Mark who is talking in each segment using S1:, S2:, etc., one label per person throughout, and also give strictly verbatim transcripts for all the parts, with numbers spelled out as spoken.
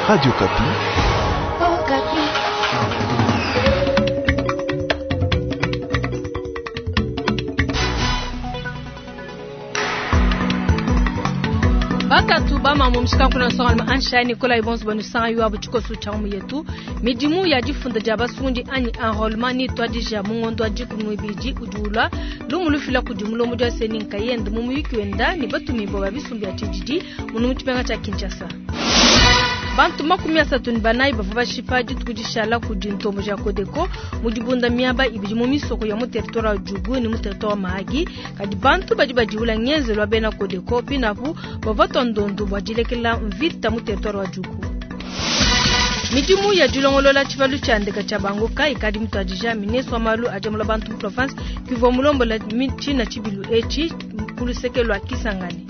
S1: Radio Okapi.
S2: Oh,
S3: Bakatu bama mumshika kuna songa ansha Nicolas Ibonzo banu sanga yuwa buchikosu cha umu yetu midimu ya difunda dia basundi anyi enrôlement ni twadija mungondo wa dikumi ibidi udiula lumu lufila kudi mulomo dia seni nkayende mu muyuki wenda ni batumibwa ba bisumbu ya tshididi munu mutshipenga tshia Kinshasa. Bantu makumi asatu ni banayi bavua bashipa dituku dishala kudi ntombo ja Kodeko mu dibunda miaba ibidi mu misoko ya mu territoire wa Djugu ni mu territoire wa Mahagi. Kadi bantu badi badiwula ngenzelu wa bena Kodeko pinapu bavua tua ndondu bua dilekela mvita mu territoire wa Djugu. Midimu ya dilongolola tshibalu tshia ndeka tshia bangoka ikadi mutuadija ministre wa malu a diamula bantu mu province kivua mulombola tshina tshibilu etshi ku luseke lua Kisangani.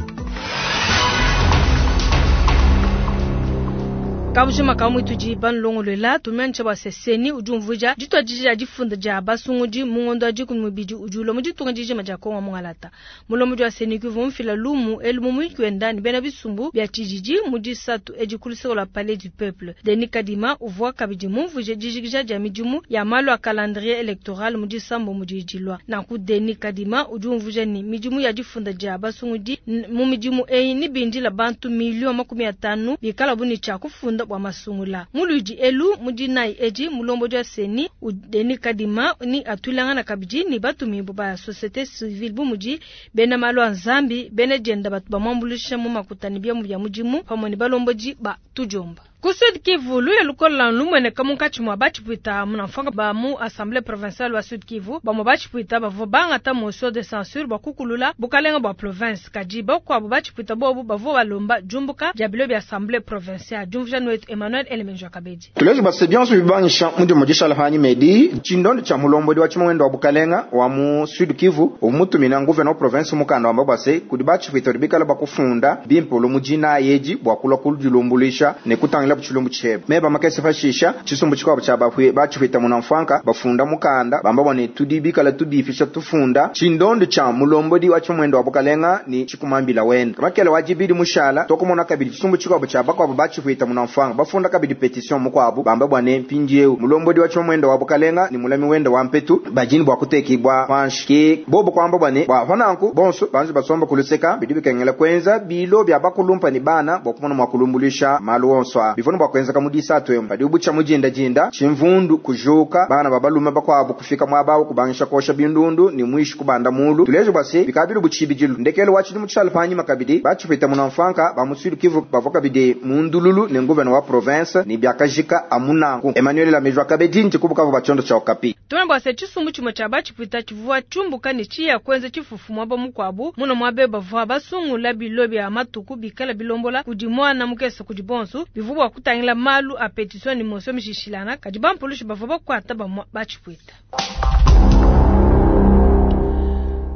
S3: Kabujima ka mwitudi banlongolola tumiantsha bua seseni udi umvuija dituadija difunda dia basungudi mu ngondo wa dikumi mubidi udi ulua mu ditunga dijima dia Kongo mungalata. Mulombodi wa seni kuvua mufila lumu elu mu muyuki wenda ne bena bisumbu bia tshididi mu disatu edi ku luseke lua Palais du Peuple. Denis Kadima uvua kabidi mumvuije dijikija dia midimu ya malu a calendrier electoral mu disambo mu didilua. Nanku Denis Kadima udi umvuija ne midimu ya difunda dia basungudi mu midimu eyi ni bindila bantu miliyo makumi atanu bikala bu ne tshia kufunda bua masungula. Muludi elu mudinai edi mulombodi wa seni Denis Kadima ni atulangana kabidi ni batumibwa ba société civile bu mudi bena malu a nzambi bena dienda batu bamwambuluisha mu makutani bia mu bia mudimu pamue ne balombodi ba tujomba. Ku Sud Kivu, luya lukola lumweneka munkatshi mua batshipwita munamfanga ba mu Assemblée provinciale wa Sud Kivu, bamue batshipwita bavua bangata motion de censure bua kukulula bukalenga bua province. Kadi bakuabu batshipwita bobu bavua balomba diumbuka dia bilo bia Assemblée provinciale. Diumvuija wetu Emmanuel Elemenjo Kabedi.
S4: Tulejo base bionso bibangisha mundi mujisha lahanyi medi tshindondo tshia mulombodi wa tshimwendo wa bukalenga wa mu Sud Kivu umutumina gouverneur province mukanda wamba base kudi batshipwita bikala bakufunda bimpolo mujina yeji bua kulua kululumbulisha ne kutangila tshilumbu tshebe meba makese fashisha tshisumbu tshikuabu tshia bafue batshipwita munamfwanka bafunda mukanda bamba bone tudi bikala tudifisha tufunda tshindondo tshia mulombodi wa tshimwendo wa bukalenga ni tshikumambila wenda makele wa jibidi mushala tokumona kabidi tshisumbu tshikuabu tshia bakuabu batshipwita munamfwanka bafunda kabidi petition mukuabu bamba bwane mpindieu mulombodi wa tshimwendo wa bukalenga ni mulami wenda wa mpetu bajini bua kutekibwa panshi ke bobo kwamba bwane bwa pananku bonso banji basomba kuluseka bidi bikengela kwenza bilo bya bakulumpa ni bana bwa kumona mwa kulumbulisha malu onso a bivona bwa kwenza kamudisa atwemba badi ubucha mujinda jinda chimvundu kujuka bana babalume bakwabu kufika mwabawo kubangisha kosha bindundu ni mwishi kubanda mulu tulejo bwase bikabilu buchibijilu ndekelo wachidi mutshala panyima kabidi bachipita munamfanka bamusilu Kivu bavoka kabidi mundululu ne nguvena wa province ni byakajika amunanku Emmanuel Lamejwa kabedi nti kubukavu bachondo cha Okapi.
S3: Tuna bwase tshisumbu tshimue tshia batshipwita tshivua tshiumbuka ne tshiya kuenza tshifufu muaba mukuabu muno muabe bavua basungula bilo bia matuku bikala bilombola kudi mwana mukese kudi bonso bivua bua kutangila malu a petition ni motion mishishilana kadi bampulushi bavua bakuata bamua batshipwita.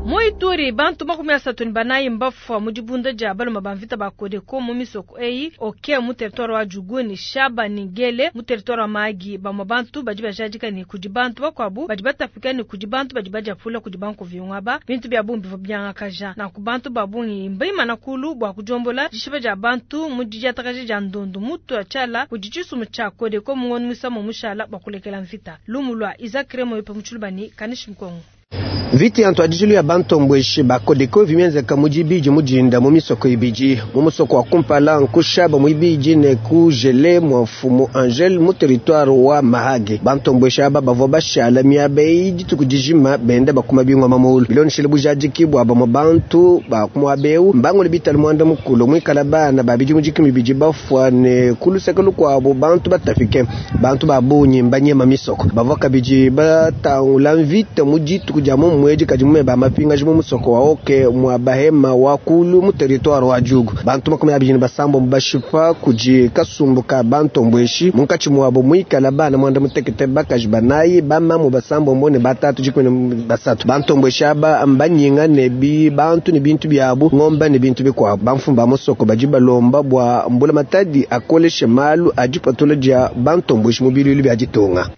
S3: Mu Ituri bantu makumi asatu ni banayi mbafua mu dibunda dia baluma ba mvita ba Kodeko mu misoko eyi oke mu territoire wa Djugu ni Shaba ni Gele mu territoire wa Mahagi. Bamue bantu badi bajadika ni kudi bantu bakuabu badi batapika ni kudi bantu badi badiapula kudi banku viungaba bintu bia bungi bivua biangakaja na ku bantu ba bungi mbaimana kulu bua kudiombola dishipa dia bantu mu didiatakaja dia ndondu mutu ya tshiala kudi tshisumu tshia Kodeko mu ngondo muisamo mushala bua kulekela mvita. Lumu lua Isaac Remo yope mu Tshilubani Kanishi Mkongo.
S5: Viti ya ntwadijilu ya bantombweshi ba Kodeko vimienzeka mujibiji mujinda mu misoko ibiji mu musoko wa kumpala nkushaba muibiji ne kujele mwa mfumu Angel mu territoire wa Mahagi. Bantombweshi aba bavua bashala miaba eyi dituku dijima benda bakuma bingwa mamulu biloneshele bujadiki bua bamue bantu ba kumuabeu mbangole bitala muanda mukulu muikala bana ba bidimu dikumi bidi bafua ne kuluseke lukuabu bantu batafike bantu ba bungi mbanyema misoko bavua kabidi batangula mvita mu dituku dia mu mwedi kadi mume ba mapingaji mu musoko wa oke mwa bahema wa kulu mu territoire wa Djugu. Bantu makumi abiri ne basambo bashipa kudi kasumbu ka bantombweshi munkatshi mwabo muikala bana mwanda mutekete bakaji banayi bamamu basambo mbone batatu dikumi ne basatu. Bantombweshi aba mbanyinga ne bi bantu ne bintu biabu ngomba ne bintu bikuabu. Bamfumu ba musoko badi balomba bua mbula matadi akoleshe malu adipatula dia bantombweshi mu bilulu bia ditunga.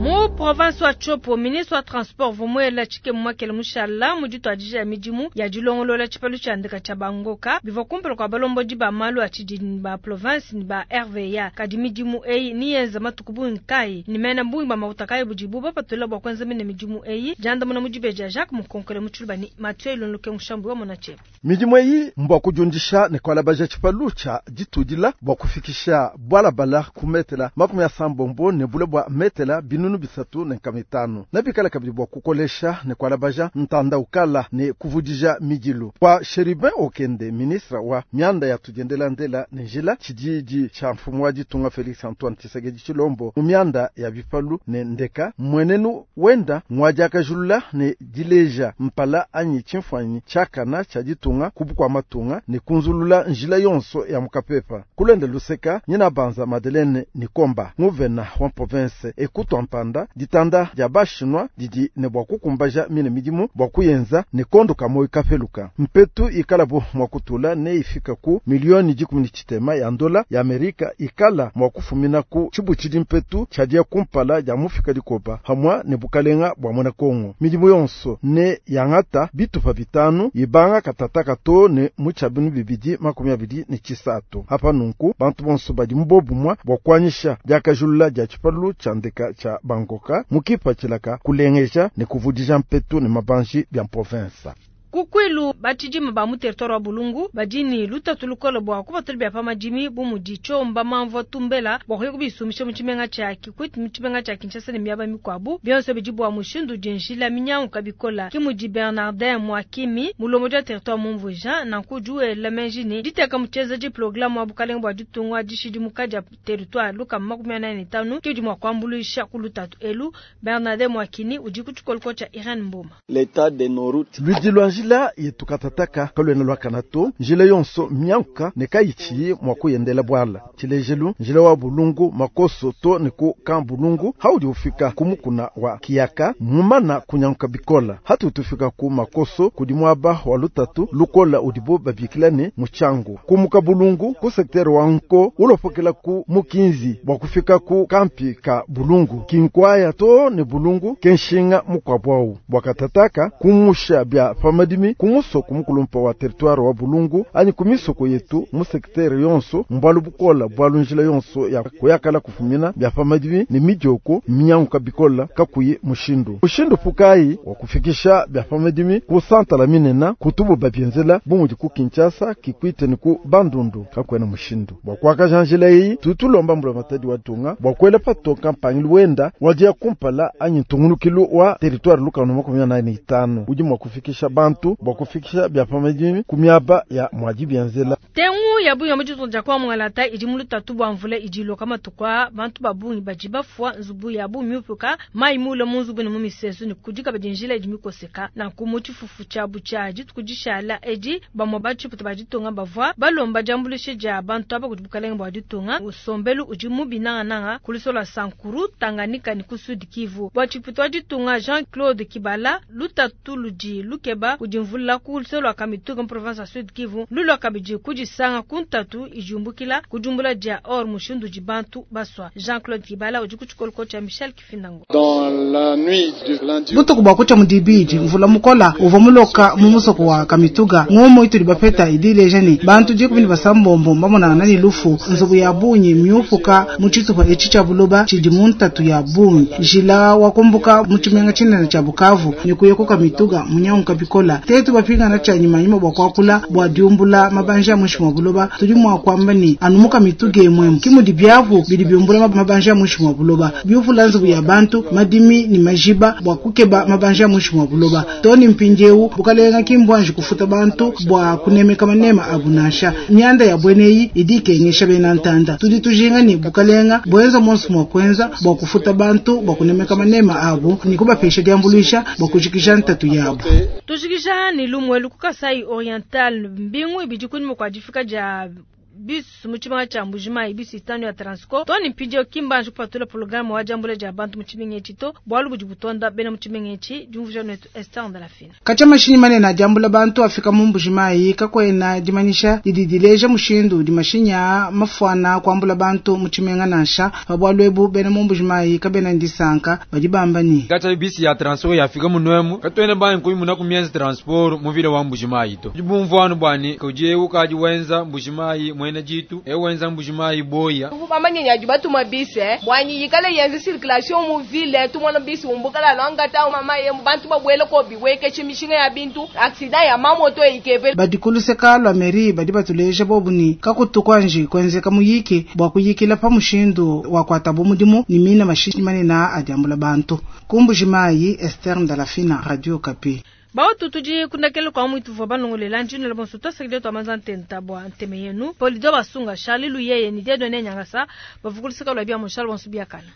S3: Mu province wa Tshopo, ministre wa transport vumuela tshike mwakele mushala mu dituadija midimu ya dilongolola tshipalu tshia ndeka tshia bangoka bivua kumpala kua balombodi ba malu a tshididi ba province ni ba R V A. Kadi midimu eyi ni yenza matuku bungi kai ni mena bungi ba makuta kai budibu bapatula bua kuenza mine midimu eyi jandamuna mu dibeja Jacques Mukonkole mu Tshiluba ni Mathieu Ilonloke Mushambu wa Monache.
S1: Midimu eyi mbwa kujundisha ne kwalabaja tshipalu tshia ditudila bua kufikisha bwalabala kumetela makumi ya sambombo ne bule bwa metela binunu bisatu ne nkamitano nabikala kabidi bua kukolesha ne kwalabaja ntanda ukala ne kuvudija midilu kwa Cherubin Okende ministre wa mianda ya tudiendela ndela ne njila tshididi tsha mfumu wa ditunga Felix Antoine Tshisekedi Tshilombo mu mianda ya bipalu ne ndeka mwenenu wenda ngwadiakajulula ne dileja mpala anyi tshimfuanyi tshakana tsha ditunga kubukwa matunga ne kunzulula njila yonso ya mukapepa kulenda luseka nyina banza Madeleine Nikomba nguvena wa province ekutwa mpanda ditanda dia bashinwa didi ne bwa kukumbaja mine midimu bwa kuyenza ne kondo kamoyi kapeluka mpetu ikala bo mwakutula ne ifika ku milioni dikumi ni tshitema ya ndola ya Amerika ikala mwakufumina ku tshibuchidi mpetu tshadia kumpala dia mufika dikoba hamwa ne bukalenga bwa mwana Kongo midimu yonso ne yangata bitupa bitanu ibanga katata kato ne mutshabinu bibidi makumi abidi ne tshisatu hapa nunku bantu bonso badi mubobumwa bwa kuanyisha diakajulula dia tshipalu tsha ndeka tsha bangoka mukipa tshilaka kulengeja ne kuvudija mpetu ne mabanji bya province.
S3: Kukwilu batshidima ba mu territoire wa Bulungu badini lutatu lukola bua kupatula bya pamadimi bu mudi tshomba mamvua tumbela bua kuya kubisumisha mu tshimenga tshia Kikwit mu tshimenga tshia Kinshasa ne miaba mikuabu bionso bidi bua mushindu udi njila minyanguka bikola ki mudi Bernardin Mwakimi mulombodi wa territoire mumvuija nanku juela menji ne diteka mutsheza di programme wa bukalenga bua ditunga dishidimuka dia territoire luka makumi anayi ne tanu ki udi mua kuambuluisha ku lutatu elu. Bernardin Mwakini udi ku tshikoloko tshia Irene Mboma.
S6: L'état de nos routes
S1: ludi lwa njila yetukatataka kalwena lwa kanato njila yonso myanka ne kayichi mwa kuyendela bwala tshilejelu njila wa Bulungu makoso to ne ku kan Bulungu haudi ufika kumukuna wa Kiyaka mumana kunyanka bikola hatu tufika ku makoso kudi mwaba wa lutatu lukola udibo babikila ne muchangu kumuka Bulungu ku sektere wa nko ulopokela ku mukinzi bwa kufika ku kampi ka Bulungu kinkwaya to ne Bulungu kenshinga mukwabwau bwakatataka kumusha bya pamadimi kumusoko mukulumpa wa territoire wa Bulungu ani kumisoko yetu mu sektere yonso mbwalu bukola bwalu njila yonso ya kuyakala kufumina bya pamadimi ne midioko minyanguka bikola kakuyi mushindu mushindu pukayi wa kufikisha bya pamadimi ku santala minena kutubu babyenzela bumudi ku Kinshasa Kikwite ni ku Bandundu kakwena mushindu bwa kwakaja njila iyi tutulomba mbula matadi wa tunga bwa kwela patoka mpangilu wenda wadia kumpala anyi ntungulukilu wa territoire lukano makumi anayi ne itanu udi mwa kufikisha bantu bwa kufikisha bya pamadimi kumiaba ya mwaji byenzela
S3: tengu ya bungi mu ditunga kwa mwangalata idi mu lutatu bua mvula idi iloka matuku aa bantu ba bungi badi bafua nzubu ya bu miupuka mayi mule mu nzubu ne mu misesu ne kudi kabidi njila idi mikoseka nanku mu tshifufu tshiabu tshia dituku dishala edi bamue batshiputa ba ditunga bavua balomba diambuluisha dia bantu aba kudi bukalenge bua ditunga usombelu udi mubi nangananga ku luso lua Sankuru Tanganyika ne ku Sud Kivu bua tshiputa wa ditunga Jean-Claude Kibala lutatu ludi lukeba kudi mvula ku luso lua Kamituga mu province ya Sud Kivu lulua kabidi kudisanga ku ntatu ijumbukila kujumbula dia or mushindu di bantu baswa. Jean-Claude Kibala udi ku tshikoloko tshia Michel Kifindango.
S7: Dans la nuit du lundi
S8: butuku bua kutshia mudibidi mvula mukola uvua muloka mu musoko wa Kamituga ngomo ituli bapeta idileja ne bantu dikumi ne basambombo bamonana ne lufu nzubu ya bungi miupuka mu tshitupa etshi tshia buloba tshidi mu ntatu ya bungi njila wakumbuka mu tshimenga tshinene tshia Bukavu ne kuya ku Kamituga munyanguka bikola tetu bapingana tshia nyimanyima bua kuakula bua diumbula mabanja mushi mwa buloba tudi mwa kwamba ni anu mu Kamituga emwemu kimudi byavu bidi biumbula mabanja mushi mwa buloba biuvula nzubu ya bantu madimi ni majiba bua kukeba mabanja mushi mwa buloba toni mpinjewu bukalenga kimbwanji kufuta bantu bua kunemeka manema abunasha myanda ya bweneyi idi kengesha bena ntanda tudi tujinga ni bukalenga bwenza monsu mwa kwenza bua kufuta bantu bua kunemeka manema abu ni kubapesha diambuluisha bua kujikisha ntatu yabo.
S3: Tujikisha ni lumwelu ku Kasai Oriental mbingu ibidi kunyuma kwa difika dia bus mu tshimenga tshia Mbujimayi bus itanu ya Transco to ne mpindieu ki mbanji kupatula pologramme wa diambula dia bantu mu tshimenga etshi to bualu budi butonda bena mu tshimenga etshi diumvuija netu Esther Ndalafina.
S8: Katshia mashinyi manene a diambula bantu afika mu Mbujimayi kakuena dimanyisha didi dileja mushindu udi mashinyi aa mafuana kuambula bantu mu tshimenga nansha. Pa bualu ebu bena mu Mbujimayi kabena ne disanka badi bamba ne
S6: katshia bisi ya Transco yafika munomu katuena banyi kuyimuna ku mienza transport mu ville wa Mbujimayi to. Bumvuanu bwani kudi eu kadi wenza Mbujimayi mwena jitu eu wenza Mbujimayi boya.
S9: Bamanye nyaji batuma bisi bwanyi yikale yenze circulation mu ville tumona bisi umbukala lwangata mama ye bantu babwele ko biweke chimishinga ya bintu accident ya mamoto ikebe.
S8: Badi kuluseka lwa mairie badi batuleja bobu ni kakutu kwanji kwenzeka muyiki bwa kuyikila pa mushindu wa kwatabo mudimu ni mina mashinyi manene a diambula bantu. Ku Mbujimayi, Esther Ndalafina, Radio Okapi.
S3: Bautu tudi kundakele kwa mwitu vwa banongolela njino la bonso twasakile twa manza ntenta bwa nteme yenu Polido basunga Charlie Luyeye ni Dieudonné Nyangasa bavukulisaka lwa bia moshal bonso biakana.